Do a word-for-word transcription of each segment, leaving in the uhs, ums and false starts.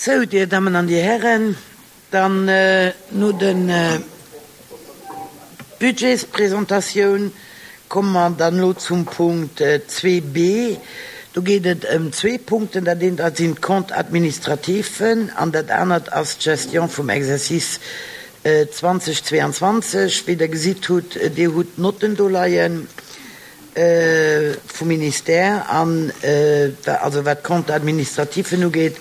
Sou, Dir Dammen an Dir Hären, dann no de Budgetspresentatioun komme mer dann elo zum Punkt zwee b. Do geet et ëm zwee Punkten. Dat eent sinn d'Comptes administratifen an dat anert ass d'Gestion vum Exercice zweitausendzweiundzwanzig. Wéi Der gesitt hutt, Dir hutt d'Notten do leie vum Ministère, an also wat d'Comptes administratifen ugeet,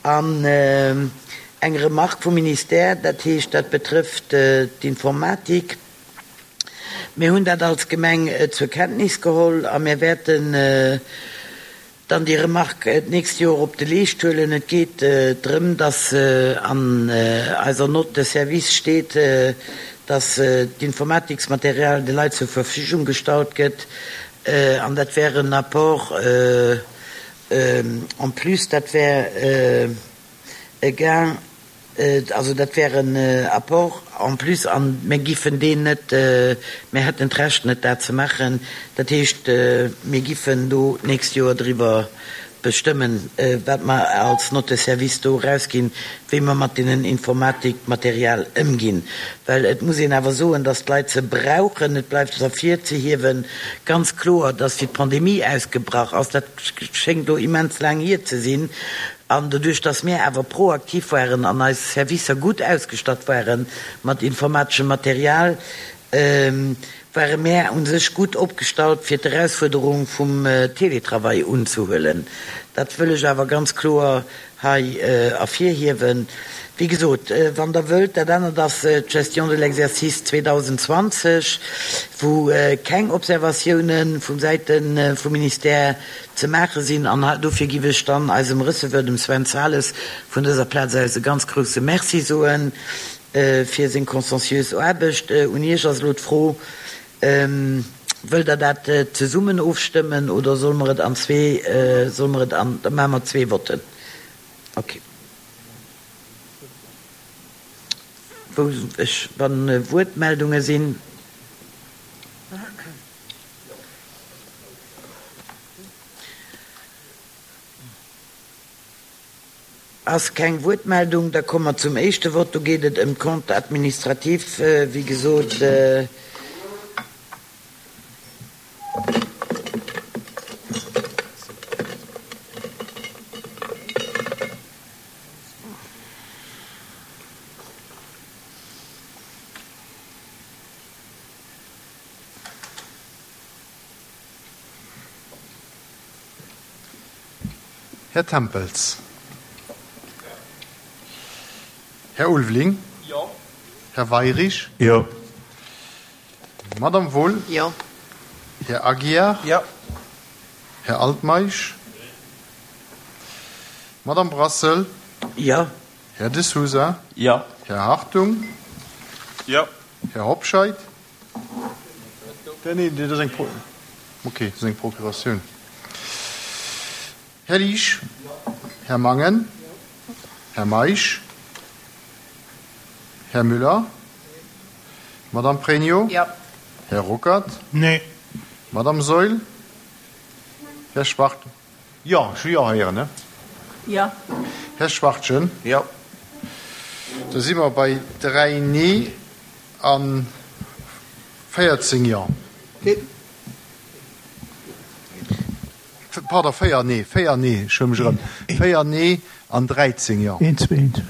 an eng Remarque vum Ministère, dat heescht, dat betrëfft d'Informatik. Mir hunn dat als Gemeng zur Kenntnis geholl a mir wäerten dann déi Remarque d'nächst Joer op de Leescht huelen. Et geet drëm, dass an eiser Note de service steet, dass d'Informatiksmaterial de Leit zur Verfügung gestallt gëtt, an dat wär en Apport en plus, dat wär e Gain, also dat wär en Apport en plus, a mir giffen deen net, mir hätten d'Recht net, dat ze maachen. Dat heescht, mir giffen do d'nächst Joer driwwer bestëmmen, wat mer als Note de service do erausginn, wéi mer mat deenen Informatikmaterial ëmginn. Well et muss een awer soen, dass d'Leit se brauchen. Et bleift ervirzehiewen, ganz kloer, dass wéi d'Pandemie ausgebrach ass, dat schéngt elo immens laang hier ze sinn, an doduerch, dass mir awer proaktiv waren an eis Servicer gutt ausgestatt ware mat informateschem Material, ware mär u sech gutt opgestallt, fir d'Erausfuerderung vum Télétravail unzehuelen. Dat wëll ech awer ganz kloer hei ervirhiewen. Wéi gesot, wann Der wëllt, dat anert ass d'Gestion de l'exercice zweitausendzwanzig, wou keng Observatiounen vum Säite vum Ministère ze maache sinn. An dofir giff ech dann eisem Receveur, dem Sven Zales, vun dëser Plaz aus e ganz grouse Merci soen fir seng consciencieuse Aarbecht. Un Iech ass elo d'Fro, Wëllt Der dat zesummen ofstëmmen oder solle mer et an zwee, solle mer et an, da maache mer zwee Votten. Okay. Wou ech, wann Wuertmeldunge sinn. Ass keng Wuertmeldung, da komme mer zum éischte Vott. Do geet et ëm d'Comptes administratifs, wéi gesot. Här Tempels. Här Ulveling. Jo. Här Weirich. Jo. Madame Wohl. Jo. Här Aguiar. Jo. Här Altmeisch. Madame Brassel. Jo. Här De Sousa. Jo. Här Hartung. Jo. Här Hobscheit. Nee, dat ass eng Pro, okay, dat ass eng Procuratioun. Här Liesch. Här Mangen. Här Meisch. Här Müller. Madame Pregno. Jo. Här Ruckert. Nee. Madame Saeul. Här Schwart. Jo, ech hu Jo héieren, ne? Jo. Här Schwachtgen. Jo. Da si mer bei dräi Nee a véierzéng Jo. Pardon, véier Nee, véier Nee, ech hu mech erëm, véier Nee an dräizéng Jo. Eent, zwee, eent.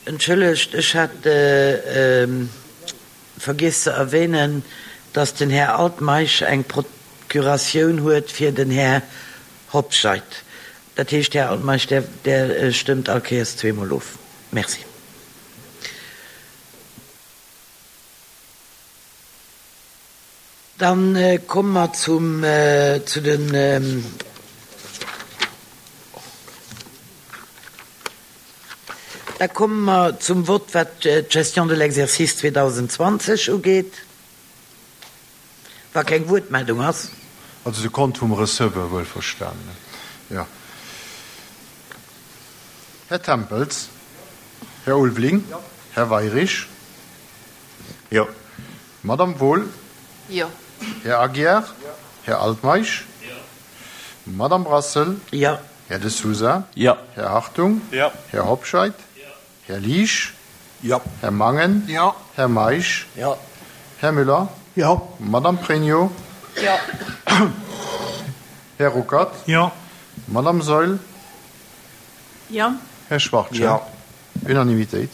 Entschëllegt, ech hat vergiess ze erwähnen, dass den Här Altmeisch eng Procuratioun huet fir den Här Hobscheit. Dat heescht, Här Altmeisch, Der, Der stëmmt all Kéiers zweemol of. Merci. Dann komme mer zum, zu den, da komme mer zum Vott, wat d'Gestion de l'exercice zweitausendzwanzig ugeet, wa keng Wuertmeldung ass. Also de Compte vum Receveur, wuelverstanen, jo. Här Tempels? Här Ulveling? Här Weirich? Jo. Madame Wohl? Jo. Här Aguiar? Här Altmeisch? Madame Brassel? Jo. Här De Sousa? Jo. Här Hartung? Jo. Här Hobscheit? Här Liesch? Jo. Här Mangen? Jo. Här Meisch? Jo. Här Müller? Jo. Madame Pregno? Jo. Här Ruckert? Jo. Madame Saeul? Jo. Här Schwachtgen? Jo. Unanimitéit.